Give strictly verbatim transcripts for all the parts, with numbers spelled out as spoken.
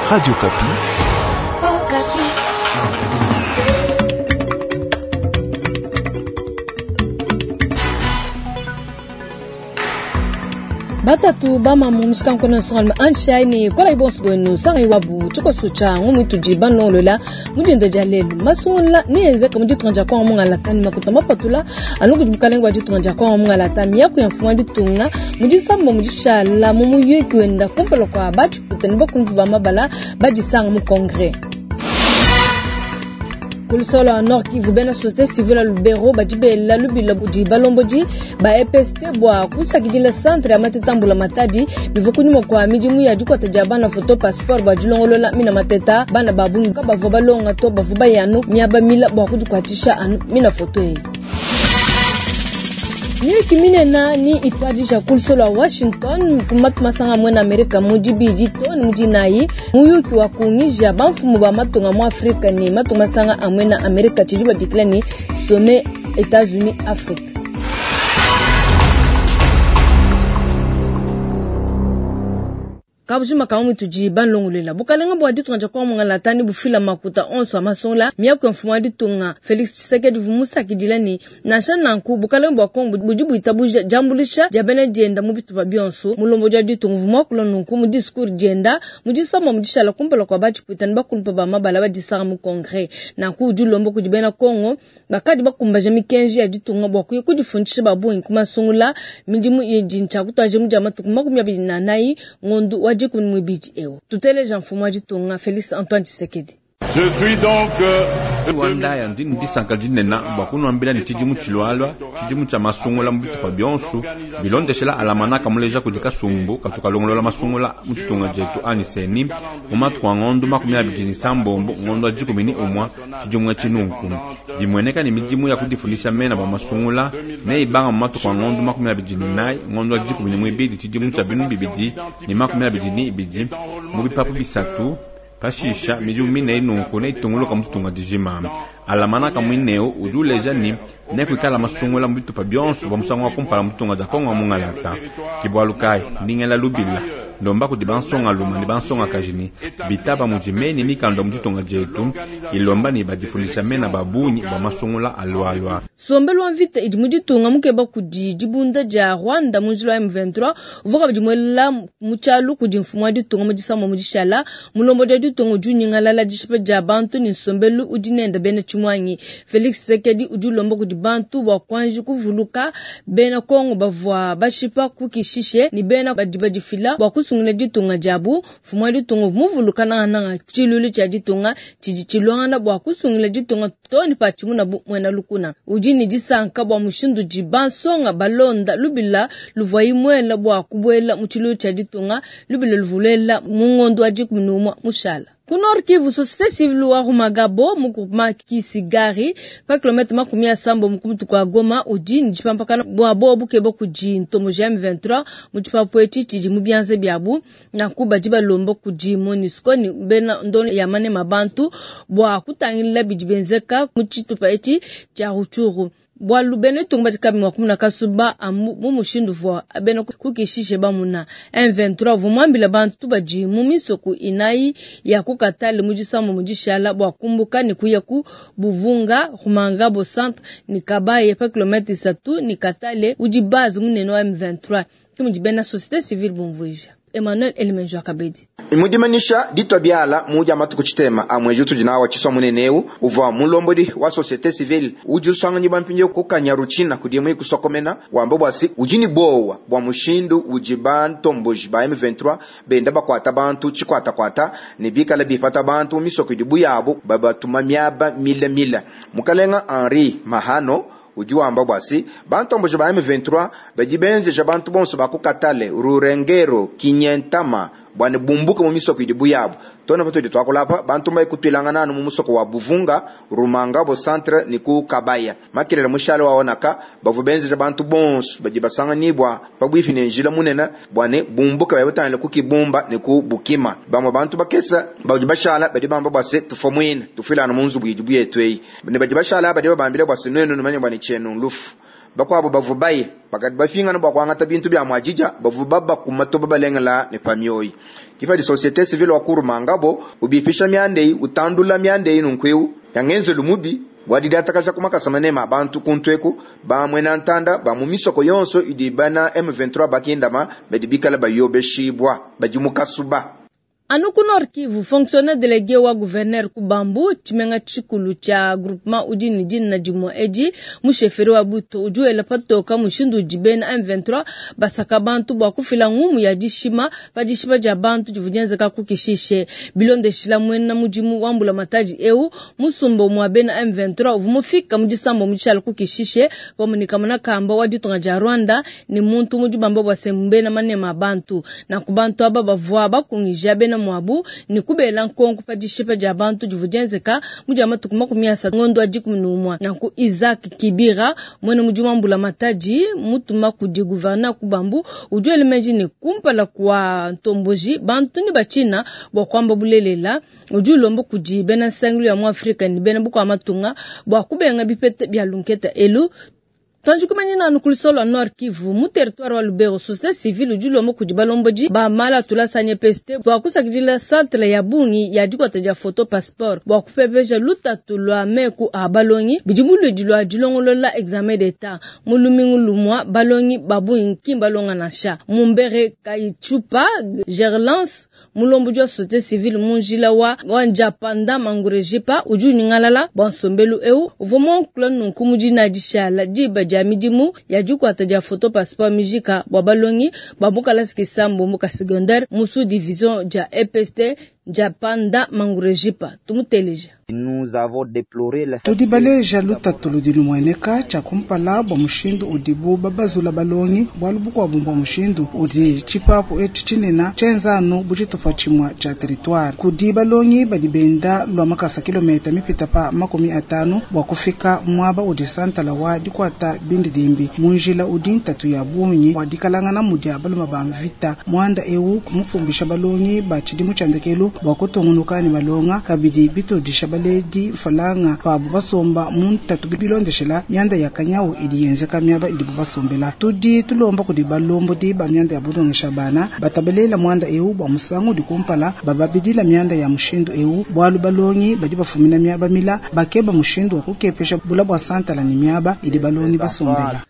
Radio Okapi. Batatu bamamu mushikankono nsongalume anshai ne kolayi bonso bwenu sangayi wabu tshikoso tshia ngumu itudi banolola mu dinda dia lelu. Masungula neenzeke mu ditunga dia Kongo mungalata ne makuta mapatula anu kudi bukalenge bua ditunga dia Kongo mungalata. Miaku ya mfumu wa ditunga mu disamba mu dishala mu muyuki wenda kumpala kua batshikuta ne bakundu ba mabala badisanga mu congrès. Ku lusolo lua Nord Kivu, bena société civile ya Lubero badi bela lubila budi balombodi ba E P S T bua kusakidila centre ya mateta mbula matadi bivua kunyima kua midimu ya dikuata dia bana photo passeport bua dilongolola mina mateta. Bana ba bungi kabavua balonga to, bavua baya anu miaba mila bua kudikuatshisha anu mina photo eyi. Miyuki minene ni ituadija ku lusolo lua Washington ku matu masanga amue na Amerika mu dibidi to ne mu dinayi. Muyuki wa kungija bamfumu ba matunga mu Afrika ne matu masanga amue na Amerika tshidi babikila ne Sommet États-Unis Afrique. Kabujima ka mutu di banlongolela. Bukalenga bua ditunga dia Kongo mungalata ne bufila makuta onso a masungula. Miaku ya mfumu wa ditunga Felix Tshisekedi vumusakidila ne nansha nanku bukalenga bua Kongo budi buitabuja diambulisha dia bena dienda mu bitupa bionso. Mulombo dia ditunga vumwakula nunku mu discours dienda mu disamba mu dishala kumpala kua batshipwita ne bakulumpa ba mabala badisanga mu congrès. Nanku udi ulomba kudi bena Kongo bakadi bakumbaja mikenji ya ditunga bua kuya kudifundisha ba bungi ku masungula. Midimu idi ntshia mu dia matuku makumi abidi na anayi ngondo wa dikumi muibidi eu. Tuteleja mfumu wa ditunga Félix Antoine Tshisekedi. Je suis donc, euh, Rwanda ya ndi ndisanka dinene bua kunuambila ne tshidimu tshilualua, tshidimu tshia masungula mu bitupa bionso, bilondeshela alamanaka muleja kudi kasumbu katu kalongolola masungula mu tshitunga dietu ani seni, mu matuku a ngondo makumi abidi ne sambombo, ngondo wa dikumi ne umua, tshidimu etshi nunku. Bimueneka ne midimu ya kudifundisha mena bua masungula, ne ibanga mu matuku a ngondo makumi abidi ne nayi, ngondo wa dikumi ne muibidi, tshidimu tshia binu bibidi ne makumi abidi ne ibidi, mu bipapu bisatu. Pashisha midimu mine nunku neitunguluka mu ditunga dijima. Alamanaka muineo udi uleja ne nekuikala masungula mu bitupa bionso bua musangu wa kumpala mu ditunga dia Kongo mungalata. Ke bualu kayi ndingela lubila ndomba kudi bansongalume ne bansongakaji ne bitaba mudi mene mikanda mu ditunga dietu ilomba ne badifundisha mena ba bungi bua masungula alualua. Sombelu wa mvita idi mu ditunga mukeba kudi dibunda dia Rwanda mu njila wa M vingt-trois, uvua kabidi muela mu tshialu kudi mfumu wa ditunga mu disamba mu dishala. Mulombo dia ditunga udi unyingalala dishipa dia bantu ne nsombelu udi nenda bena tshimuangi. Felix Tshisekedi udi ulomba kudi bantu bua kuanji kuvuluka bena Kongo bavua bashipa ku Kishishe ne bena badi badifila bua kusungula ditunga diabu. Mfumu wa ditunga muvuluka nangananga tshilulu tshia ditunga tshidi tshilongana bua kusungula ditunga too ne patshimuna bu muena lukuna. Udi ne disanka bua mushindu di bansonga balonda lubila luvua imuela bua kubuela mu tshilulu tshia ditunga, lubila luvulela mu ngondo wa dikumi ne umue mushala. Ku Nord Kivu, société civile wa Rumangabo mu groupement Kisigari pa kilomètre makumi asambo mu kumutu kwa Goma udi ne dipampakana bua bobu keba kudi ntomo ja M vingt-trois mu tshipapu etshi tshidi mu bianza biabu. Nanku badi balomba kudi MONUSCO ne bena ndono ya manema bantu bua kutangila bidi benzeka mu tshitupa etshi tshia Rutshuru. Bualu bena ditunga badi kabi mua kumuna kasuba amu mu mushindu vua bena kukishishe bamuna. M vingt-trois uvua muambile bantu badi mu misoko inayi ya ku Katale mu disambo mu dishala bua kumbuka ne kuya ku Buvunga, Rumangabo centre ne Kabaye pa kilomètre isatu ne Katale udi base munene wa M vingt-trois. Ke mudi bena société civile bumvuija. Emmanuel Elimenjo Akabedi. Imudimanisha ditwa biala muja matuku chitema amwe jutu jinawa chiswa muneneu uvwa mulombodi wa société civile uji usanga bampinje kukanyaruchina kudimu kusokomena wamba bwasi ujini bowa bwa mushindu uji bantomboji ba M vingt-trois benda bakwata bantu chikwata kwata ne bikala bifata bantu misoko dibu yabo babatuma miaba mila mila. Mukalenga Henri Mahano udi wamba bwasi bantomboji ba M vingt-trois badi benzeja bantu bonso bakukatale Rurengero Kinyentama bwane bumbuka mu misoko idi buyabo tona patudi twakulapa bantu mbaye kutwilangana mu musoko wa Buvunga Rumanga bo centre ni ku Kabaya makelele mushalo waonaka bavu benzeja bantu bonso badi basanganibwa pabwifi ne njila munene bwane bumbuka babutanile ku Kibumba ne ku Bukima bamwe bantu bakesa badi bashala badi bamba bwase tufomwina tufilana mu nzubu idi buyetu eyi ne badi bashala badi babambile bwase nwenu numanye bwane chenu lufu bakwabo bavubaye bakati bafingana bwa kwangata bintu bya mwajija bavuba bakumatoba balengela ne pamyoyi. Kipadi société civile wa Kurumangabo ubipisha miandei utandula miandei nunkweu yangenzelu mubi wadidiatakaja kumakasa manema abantu kuntweku bamwena ntanda ba mu misoko yonso idi bana M vingt-trois bakindama badi bikala bayobeshibwa badi mukasuba. Anu ku Nord Kivu, fonctionnaire délégué wa gouverneur ku Bambu, tshimenga tshikulu tshia groupement udi ne dina dimue edi, musheferi wa Buto udi wela patoka mushindu udi bena M vingt-trois basaka bantu bua kufila ngumu ya dishima pa dishipa dia bantu divua dienzeka ku Kishishe. Bilondeshila muena mudimu wa mbulamatadi eu, musumba mua bena M vingt-trois uvua mufika mu disambo mu tshiala ku Kishishe, pamue ne kamona kamba wa ditunga dia Rwanda ne muntu mudi bamba bua se mbena manema a bantu. Nanku bantu aba bavua bakungija bena mwabu ni kubela nkonko pa dishipa dia bantu divua dienzeka mu dia matuku makumi asatu ngondo wa dikumi ne umue. Nanku Isaac Kibira mwene mudimu wa mbulamatadi mutuma kudi gouverneur ku Bambu udi wela meji ne kumpala kwa ntomboji bantu ni bachina bua kuamba bulelela udi ulomba kudi bena nsangilu ya mu Afrika ni bena bukua matunga bua kubenga bipete bia lunketa elu. Tanju kumanyina anu kulisolo wa Nord Kivu mu territoire wa Lubero, société civile udi ulomba kudi balombodi ba mala tulasanye peste bua kusakidila centre ya bungi ya dikwata dia photo passeport bua kupepeja lutatu lwa meku a balongi bidi muludi lwa dilongolola examen d'état mu lumingu lumwa balongi ba bungi ki balonga nansha mumbere kayichupa Gerlance mulombodi wa société civile munjila wa wa Njapanda Mangurejipa udi unyingalala bua nsombelu eu uvua muankula nunku mudina dishala diba dia midimu ya dikwata dia photo passeport mijika bua balongi ba mukalasi kisambo mu secondaire mu sous division dia E P S T Njapanda Mangurejipa tumuteleja. Nous avons déploré la Tudi baleja lutatu ludi lumueneka tshia kumpala bua mushindu udibu babazula balongi bualu bukuabu bua mushindu udi tshipapu etshi tshinena tshienzanu bu tshitupa tshimue tshia territoire kudi balongi badi benda lua makasa kilomita mipita pa makumi atanu bua kufika muaba udi santala wa dikwata bindidimbi mu njila udi ntatu ya bungi bua dikalangana mudi abaluma ba mvita muanda eu kumupumbisha balongi ba tshidimu tshia ndekelu bua kutungunuka ne malonga kabidi bitodisha baledi falanga pabu basomba mu ntatu bilondeshela mianda ya kanyau idi yenzeka miaba idi basombela tudi tulomba kudi balombodi ba mianda ya bulongesha bana batabelela muanda eu bua musangu udi kumpala bababidila mianda ya mushindu eu bualu balongi badi bafumina miaba mila bakeba mushindu wa kukepesha bula bua santala ne miaba idi balongi basombela.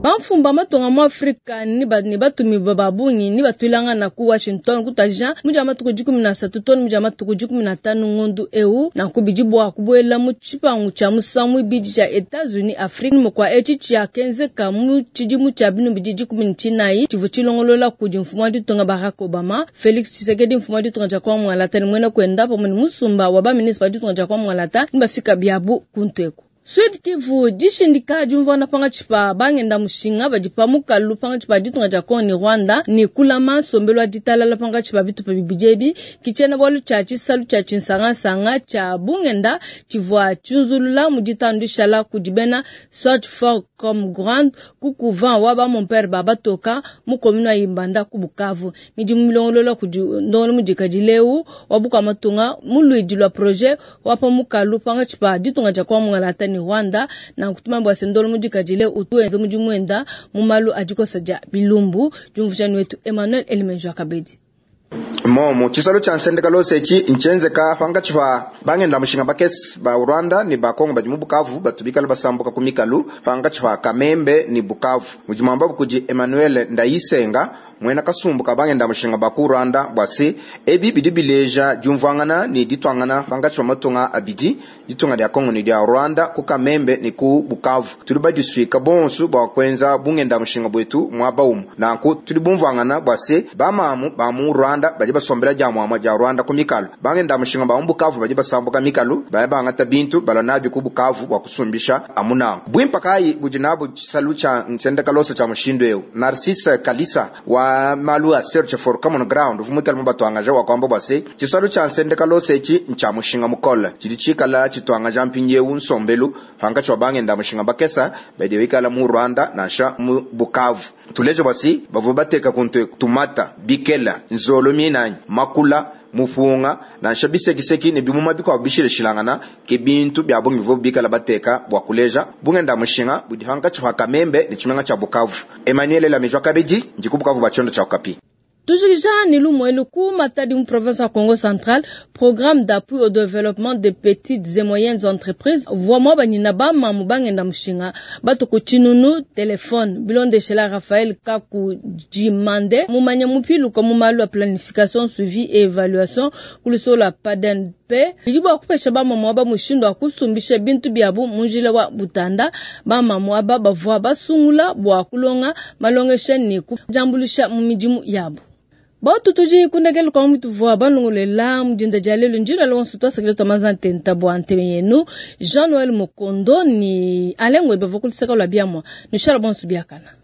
Bamfumba matonga mu Afrika ni ba ni batumi babungi ni batwilanga na ku Washington kutaja muja matuku dikumi na satu toni muja matuku dikumi na tanu ngondu eu na kubidi bwa kubuela mu tshipangu tshia musangu ibidi tshia Etats-Unis Afrique mu kwa etshi tshia kenzeka mu tshidimu tshia binu bidi dikumi na tshinayi tshivu tshilongolola kudi mfumu wa ditunga Barack Obama Felix Tshisekedi mfumu wa ditunga tshia kwa Mwalata ni mwena kwenda pamwe ni musumba wa ba ministre wa ditunga tshia kwa Mwalata ni bafika biabu kuntweku. Sud Kivu dishindika diumvuana pangatshi pa bangenda mushinga badi pa mukalu pangatshi pa ditunga dia Congo ne Rwanda ne kulama nsombelu wa ditalala pangatshi pa bitupa bibidi ebi kitshiena bualu tshia tshisalu tshia tshinsangasanga tshia bungenda tshivua tshiunzulula mu ditanu dishala kudi bena Search for Common Ground ku couvent wa ba mon père Babatoka mu commune ya Ibanda ku Bukavu midimu milongolola kudi ndongolo mudikadi leu wa bukua matunga mu luidi lua projet wa pa mukalu pangatshi pa ditunga dia Congo Ngalata ne Rwanda na kutuma bwa sendolo mudikadile utuenze mudimu wenda mu malu adikosa dia bilumbu jumvujani wetu Emmanuel Elimenjo Akabedi. Momo tshisalo tshia nsendeka lose etshi ntshienzeka pangatshi pa bangenda mushinga bakesi ba Rwanda ni ba Congo badi mu Bukavu batubikala basambuka ku mikalu pangatshi pa Kamembe ni Bukavu mudimu ambabu kudi Emmanuel Ndayisenga mwena kasumbu ka bangenda mushinga ba ku Rwanda bwase ebi bidi bileja diumvuangana ni ditwangana pangatshi pa matunga abidi ditunga dia Congo ni dia Rwanda ku Kamembe ni ku Bukavu tuli badisuika bonso bwa kwenza bungenda mushinga bwetu mwaba umu nanku tuli bumvuangana bwase bamamu ba mu Rwanda badi basombela dia mwamwa dia Rwanda ku mikalu bangenda mushinga ba mu Bukavu badi basambuka mikalu baya bangata bintu balanabi ku Bukavu bwa kusumbisha amuna bwimpa kai budi nabo tshisalu tsha nsendeka losa tsha mushindu eu Narcisse Kalisa wa malu a Search for Common Ground vumukela mu batwangaja wa kwamba bwase tshisalu tsha nsendeka losa etshi ntsha mushinga mukole tshidi tshikala tshitwangaja mpindieu nsombelu pangatshi wa bangenda mushinga bakesa badi bikala mu Rwanda nansha mu Bukavu tuleje bwasi bavua bateka kuntu tumata bikela nzolo minanyi makula Mupunga, nansha bisekiseki ne bimuma bikuabu bishilashilangana ke bintu bia bungi bivuabu bikala bateka bua kuleja bungenda mushinga budi pankatshi pa Kamembe ne tshimenga tshia Bukavu. Emmanuel Lamejwa kabidi ndi ku Bukavu bua tshiondo tshia Okapi. Tujikija ni lumu ku Matadi mu province ya Congo Central, programme d'appui au développement des petites et moyennes entreprises vua banyina ba mamu bangenda mushinga batuku tshinunu telefone bilondeshela Raphaël Kaku Jimande mumanya mupiluka mu malu a planification suivi et évaluation kulusola paden pe bidi bua kupesha bamamu aba mushindu wa kusumbisha bintu biabu mu njila wa butanda. Bamamu aba bavua basungula bua kulonga malongesha ne kujambulisha mu midimu yabu. Batu tuji kundekela kwa mutu vua balongolela mudinda dia lelo njila lonso twasakile twa mazantenta bua nteme yenu Jean Noël Mukondo ni alengwe bavokulisaka lwa biamwa nishala bonso biakana.